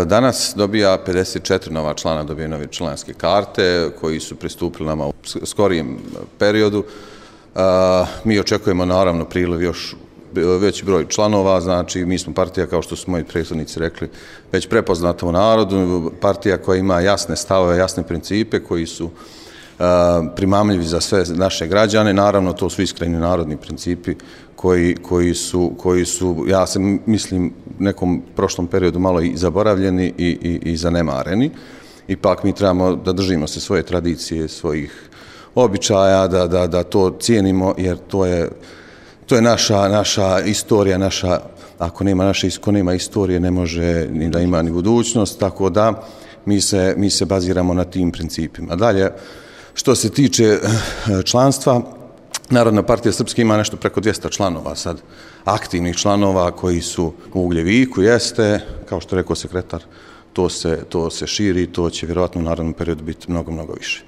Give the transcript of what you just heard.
Danas dobija 54 nova člana, dobije nove članske karte koji su pristupili nama u skorijem periodu. Mi očekujemo naravno priliv još veći broj članova, znači mi smo partija, kao što su moji prethodnici rekli, već prepoznata u narodu, partija koja ima jasne stavove, jasne principe koji su primamljivi za sve naše građane. Naravno, to su iskreni narodni principi koji su, ja se mislim, u nekom prošlom periodu malo i zaboravljeni i zanemareni. Ipak mi trebamo da držimo se svoje tradicije, svojih običaja, da to cijenimo, jer to je naša istorija, ako nema istorije, ne može ni da ima ni budućnost, tako da mi se baziramo na tim principima. Dalje, što se tiče članstva, Narodna partija Srpske ima nešto preko 200 članova sad, aktivnih članova koji su u Ugljeviku, jeste, kao što rekao sekretar, to se širi, to će vjerojatno u narednom periodu biti mnogo više.